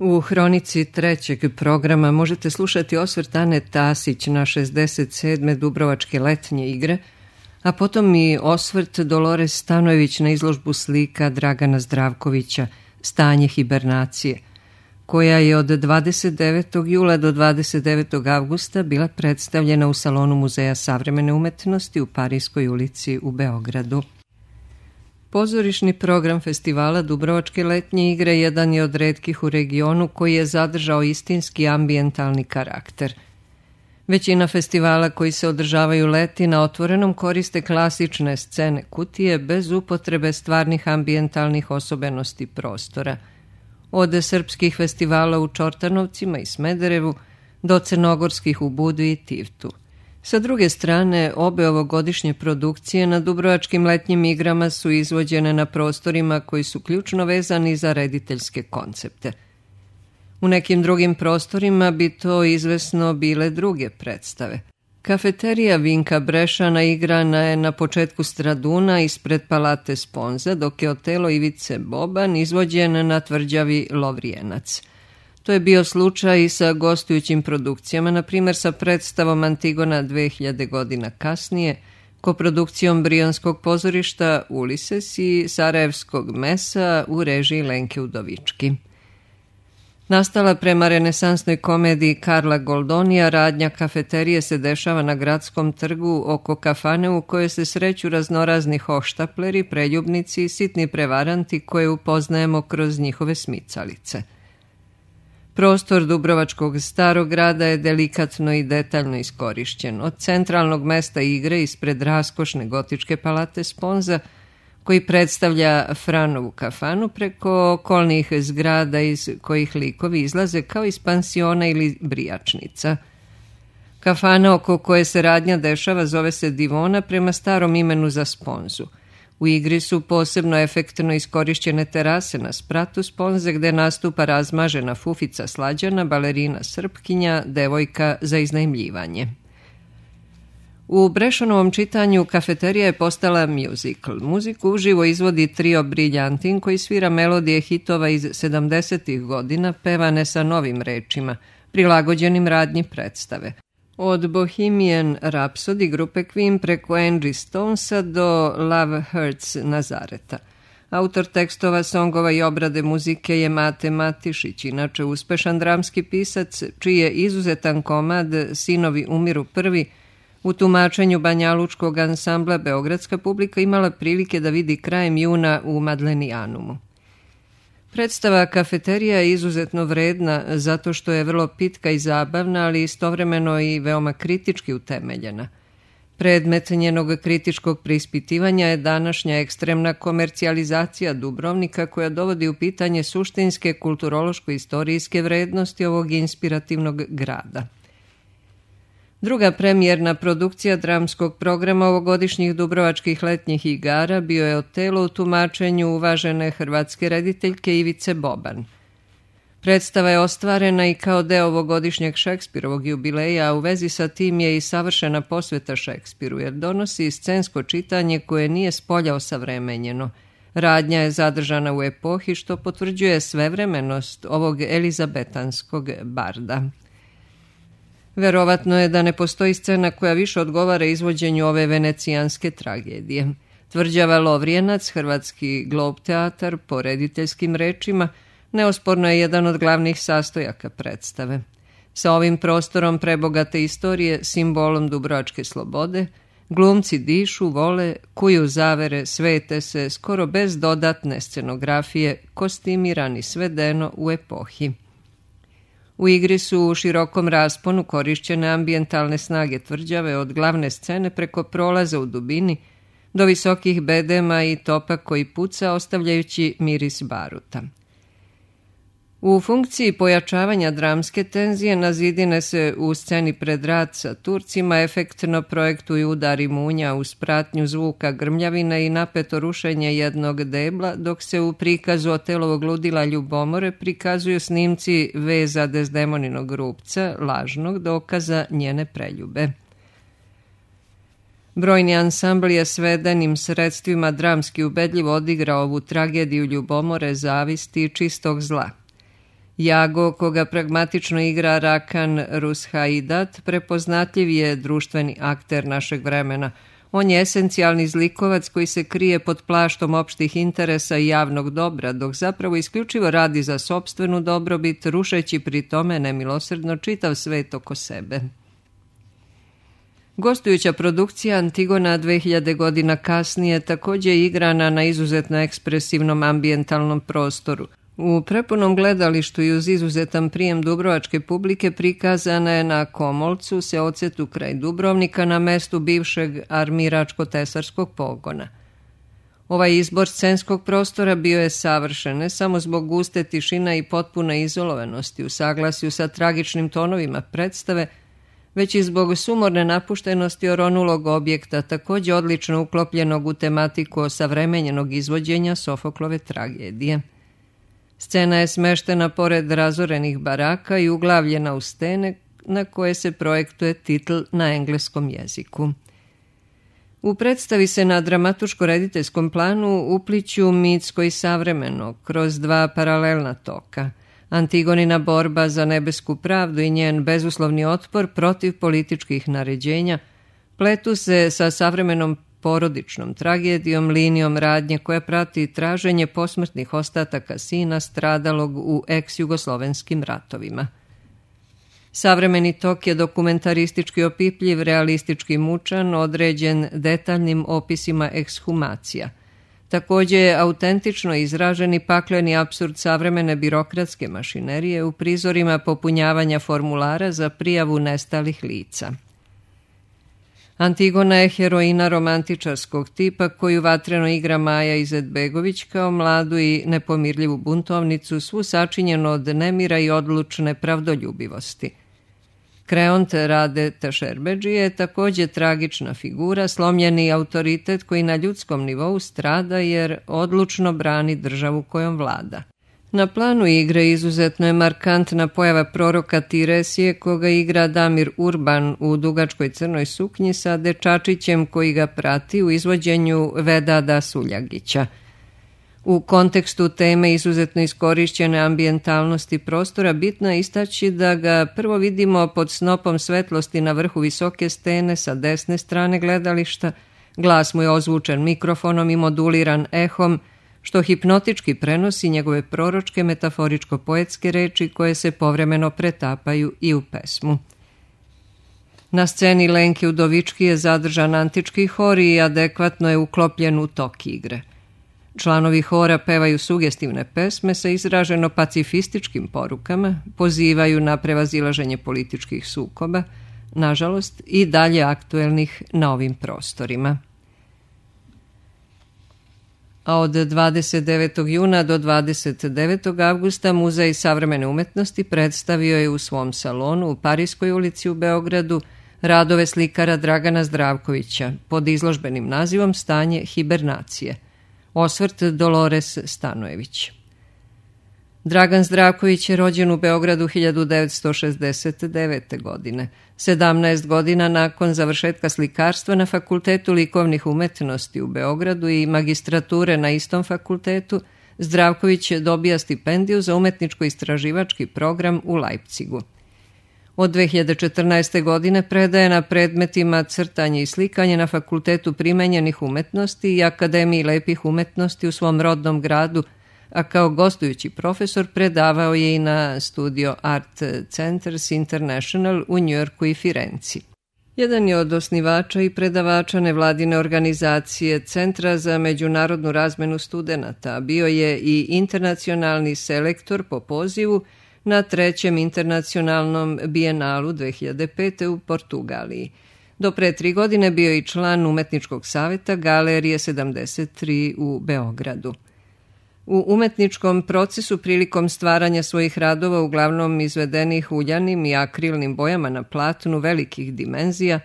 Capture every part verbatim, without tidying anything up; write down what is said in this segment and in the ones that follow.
U hronici trećeg programa možete slušati osvrt Ane Tasić na šezdeset sedme Dubrovačke letnje igre, a potom i osvrt Dolores Stanojević na izložbu slika Dragana Zdravkovića Stanje hibernacije, koja je od dvadeset devetog jula do dvadeset devetog avgusta bila predstavljena u salonu Muzeja savremene umetnosti u Parijskoj ulici u Beogradu. Pozorišni program festivala Dubrovačke letnje igre jedan je od retkih u regionu koji je zadržao istinski ambijentalni karakter. Većina festivala koji se održavaju leti na otvorenom koriste klasične scene kutije bez upotrebe stvarnih ambijentalnih osobenosti prostora. Od srpskih festivala u Čortanovcima i Smederevu do crnogorskih u Budvi i Tivtu. Sa druge strane, obe ovogodišnje produkcije na Dubrovačkim letnjim igrama su izvođene na prostorima koji su ključno vezani za rediteljske koncepte. U nekim drugim prostorima bi to izvesno bile druge predstave. Kafeterija Vinka Brešana igrana je na početku Straduna ispred Palate Sponza, dok je Otelo Ivice Boban izvođen na tvrđavi Lovrijenac. To je bio slučaj i sa gostujućim produkcijama, na primjer sa predstavom Antigona dve hiljade godina kasnije, koprodukcijom Brionskog pozorišta Ulises i Sarajevskog mesa u režiji Lenke Udovički. Nastala prema renesansnoj komediji Karla Goldonija, radnja kafeterije se dešava na Gradskom trgu oko kafane u kojoj se sreću raznorazni hoštapleri, preljubnici i sitni prevaranti koje upoznajemo kroz njihove smicalice. Prostor Dubrovačkog starog grada je delikatno i detaljno iskorišćen. Od centralnog mesta igre ispred raskošne gotičke Palate Sponza, koji predstavlja Franovu kafanu, preko okolnih zgrada iz kojih likovi izlaze kao iz pansiona ili brijačnica. Kafana oko koje se radnja dešava zove se Divona prema starom imenu za Sponzu. U igri su posebno efektno iskorišćene terase na spratu Sponze gde nastupa razmažena fufica Slađana, balerina Srpkinja, devojka za iznajmljivanje. U Brešanovom čitanju kafeterija je postala musical. Muziku uživo izvodi trio Briljantin koji svira melodije hitova iz sedamdesetih godina pevane sa novim rečima, prilagođenim radnji predstave. Od Bohemian Rhapsody grupe Queen preko Angie Stonesa do Love Hurts Nazareta. Autor tekstova, songova i obrade muzike je Mate Matišić, inače uspešan dramski pisac, čiji je izuzetan komad Sinovi umiru prvi u tumačenju banjalučkog ansambla beogradska publika imala prilike da vidi krajem juna u Madlenijanumu. Predstava Kafeterija je izuzetno vredna zato što je vrlo pitka i zabavna, ali istovremeno i veoma kritički utemeljena. Predmet njenog kritičkog preispitivanja je današnja ekstremna komercijalizacija Dubrovnika koja dovodi u pitanje suštinske kulturološko-istorijske vrednosti ovog inspirativnog grada. Druga premijerna produkcija dramskog programa ovogodišnjih Dubrovačkih letnjih igara bio je Otelo u tumačenju uvažene hrvatske rediteljke Ivice Boban. Predstava je ostvarena i kao deo ovogodišnjeg Šekspirovog jubileja, a u vezi sa tim je i savršena posveta Šekspiru, jer donosi scensko čitanje koje nije spolja osavremenjeno. Radnja je zadržana u epohi, što potvrđuje svevremenost ovog elizabetanskog barda. Verovatno je da ne postoji scena koja više odgovara izvođenju ove venecijanske tragedije. Tvrđava Lovrijenac, hrvatski glob teatar, po rediteljskim rečima, neosporno je jedan od glavnih sastojaka predstave. Sa ovim prostorom prebogate istorije, simbolom dubrovačke slobode, glumci dišu, vole, kuju zavere, svete se, skoro bez dodatne scenografije, kostimirani svedeno u epohi. U igri su u širokom rasponu korišćene ambijentalne snage tvrđave od glavne scene preko prolaza u dubini do visokih bedema i topa koji puca ostavljajući miris baruta. U funkciji pojačavanja dramske tenzije na zidine se u sceni pred rat sa Turcima efektno projektuju udari munja uz pratnju zvuka grmljavine i napeto rušenje jednog debla, dok se u prikazu Otelovog ludila Ljubomore prikazuju snimci veza Dezdemoninog rupca, lažnog dokaza njene preljube. Brojni ansambl je svedenim sredstvima dramski ubedljivo odigrao ovu tragediju Ljubomore, zavisti i čistog zla. Jago, koga pragmatično igra Rakan Rushaidat, prepoznatljiv je društveni akter našeg vremena. On je esencijalni zlikovac koji se krije pod plaštom opštih interesa i javnog dobra, dok zapravo isključivo radi za sopstvenu dobrobit, rušeći pri tome nemilosrdno čitav svet oko sebe. Gostujuća produkcija Antigona dve hiljade godina kasnije također je igrana na izuzetno ekspresivnom ambijentalnom prostoru. U prepunom gledalištu i uz izuzetan prijem dubrovačke publike prikazana je na Komolcu, seocetu kraj Dubrovnika, na mestu bivšeg armiračko-tesarskog pogona. Ovaj izbor scenskog prostora bio je savršen, ne samo zbog guste tišina i potpune izolovanosti u saglasju sa tragičnim tonovima predstave, već i zbog sumorne napuštenosti oronulog objekta, također odlično uklopljenog u tematiku osavremenjenog izvođenja Sofoklove tragedije. Scena je smeštena pored razorenih baraka i uglavljena u stene na koje se projektuje titl na engleskom jeziku. U predstavi se na dramatuško-rediteljskom planu upliću mitsko i savremeno kroz dva paralelna toka. Antigonina borba za nebesku pravdu i njen bezuslovni otpor protiv političkih naređenja pletu se sa savremenom porodičnom tragedijom, linijom radnje koja prati traženje posmrtnih ostataka sina stradalog u ex-jugoslovenskim ratovima. Savremeni tok je dokumentaristički opipljiv, realistički mučan, određen detaljnim opisima ekshumacija. Također je autentično izražen i pakleni apsurd savremene birokratske mašinerije u prizorima popunjavanja formulara za prijavu nestalih lica. Antigona je heroina romantičarskog tipa koju vatreno igra Maja Izetbegović kao mladu i nepomirljivu buntovnicu, svu sačinjenu od nemira i odlučne pravdoljubivosti. Kreont Rade Tašerbeđi je također tragična figura, slomljeni autoritet koji na ljudskom nivou strada jer odlučno brani državu kojom vlada. Na planu igre izuzetno je markantna pojava proroka Tiresije, koga igra Damir Urban u dugačkoj crnoj suknji sa dečačićem koji ga prati u izvođenju Vedada Suljagića. U kontekstu teme izuzetno iskorišćene ambijentalnosti prostora bitno je istaći da ga prvo vidimo pod snopom svetlosti na vrhu visoke stene sa desne strane gledališta, glas mu je ozvučen mikrofonom i moduliran ehom, što hipnotički prenosi njegove proročke metaforičko-poetske reči koje se povremeno pretapaju i u pesmu. Na sceni Lenke Udovički je zadržan antički hor i adekvatno je uklopljen u tok igre. Članovi hora pevaju sugestivne pesme sa izraženo pacifističkim porukama, pozivaju na prevazilaženje političkih sukoba, nažalost i dalje aktuelnih na ovim prostorima. A od dvadeset devetog juna do dvadeset devetog avgusta Muzej savremene umetnosti predstavio je u svom salonu u Parijskoj ulici u Beogradu radove slikara Dragana Zdravkovića pod izložbenim nazivom Stanje hibernacije. Osvrt Dolores Stanojević. Dragan Zdravković je rođen u Beogradu hiljadu devetsto šezdeset devete. godine. sedamnaest godina nakon završetka slikarstva na Fakultetu likovnih umetnosti u Beogradu i magistrature na istom fakultetu, Zdravković dobija stipendiju za umetničko-istraživački program u Leipzigu. Od dve hiljade četrnaeste. godine predaje na predmetima crtanje i slikanje na Fakultetu primenjenih umetnosti i Akademiji lepih umetnosti u svom rodnom gradu, a kao gostujući profesor predavao je i na Studio Art Centers International u Njujorku i Firenci. Jedan je od osnivača i predavača nevladine organizacije Centra za međunarodnu razmenu studenata, bio je i internacionalni selektor po pozivu na trećem internacionalnom bijenalu dve hiljade pete. u Portugaliji. Do pre tri godine bio je i član umetničkog saveta Galerije sedamdeset tri u Beogradu. U umetničkom procesu prilikom stvaranja svojih radova, uglavnom izvedenih uljanim i akrilnim bojama na platnu velikih dimenzija,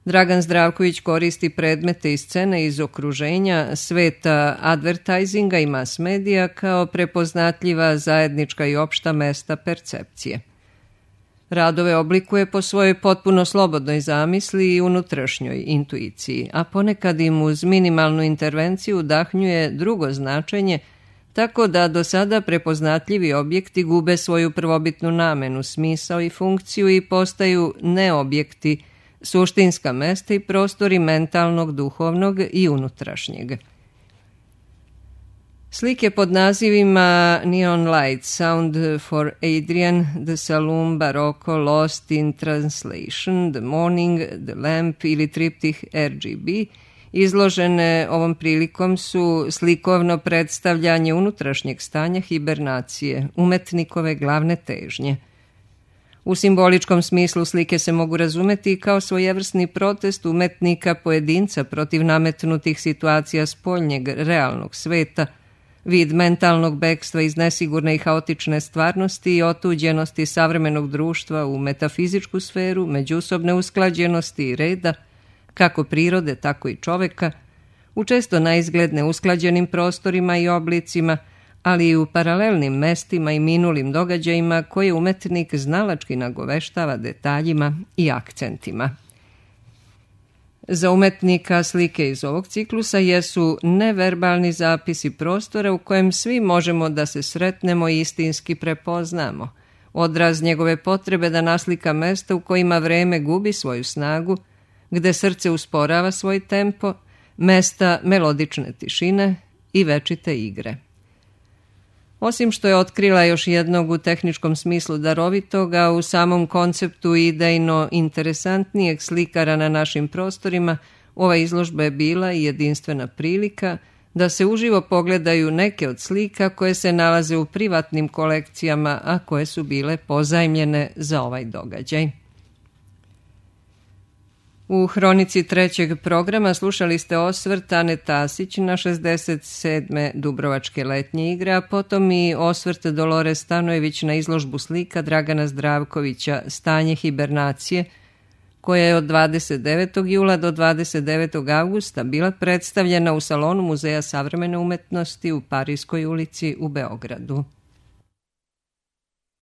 Dragan Zdravković koristi predmete i scene iz okruženja sveta advertisinga i mass medija kao prepoznatljiva zajednička i opšta mesta percepcije. Radove oblikuje po svojoj potpuno slobodnoj zamisli i unutrašnjoj intuiciji, a ponekad im uz minimalnu intervenciju udahnjuje drugo značenje, tako da do sada prepoznatljivi objekti gube svoju prvobitnu namenu, smisao i funkciju i postaju neobjekti, suštinska mesta i prostori mentalnog, duhovnog i unutrašnjeg. Slike pod nazivima Neon Light, Sound for Adrian, The Saloon, Barocco, Lost in Translation, The Morning, The Lamp ili triptih R G B izložene ovom prilikom su slikovno predstavljanje unutrašnjeg stanja hibernacije, umetnikove glavne težnje. U simboličkom smislu slike se mogu razumeti kao svojevrsni protest umetnika pojedinca protiv nametnutih situacija spoljnjeg realnog sveta, vid mentalnog bekstva iz nesigurne i haotične stvarnosti i otuđenosti savremenog društva u metafizičku sferu, međusobne usklađenosti i reda, kako prirode, tako i čoveka, u često naizgled neusklađenim prostorima i oblicima, ali i u paralelnim mestima i minulim događajima koje umetnik znalački nagoveštava detaljima i akcentima. Za umetnika slike iz ovog ciklusa jesu neverbalni zapisi prostora u kojem svi možemo da se sretnemo i istinski prepoznamo, odraz njegove potrebe da naslika mesta u kojima vreme gubi svoju snagu, gde srce usporava svoj tempo, mesta melodične tišine i večite igre. Osim što je otkrila još jednog u tehničkom smislu darovitoga, u samom konceptu idejno interesantnijeg slikara na našim prostorima, ova izložba je bila i jedinstvena prilika da se uživo pogledaju neke od slika koje se nalaze u privatnim kolekcijama, a koje su bile pozajmljene za ovaj događaj. U hronici trećeg programa slušali ste osvrt Ane Tasić na šezdeset sedme Dubrovačke letnje igre, a potom i osvrt Dolore Stanojević na izložbu slika Dragana Zdravkovića Stanje hibernacije, koja je od dvadeset devetog jula do dvadeset devetog avgusta bila predstavljena u salonu Muzeja savremene umetnosti u Parijskoj ulici u Beogradu.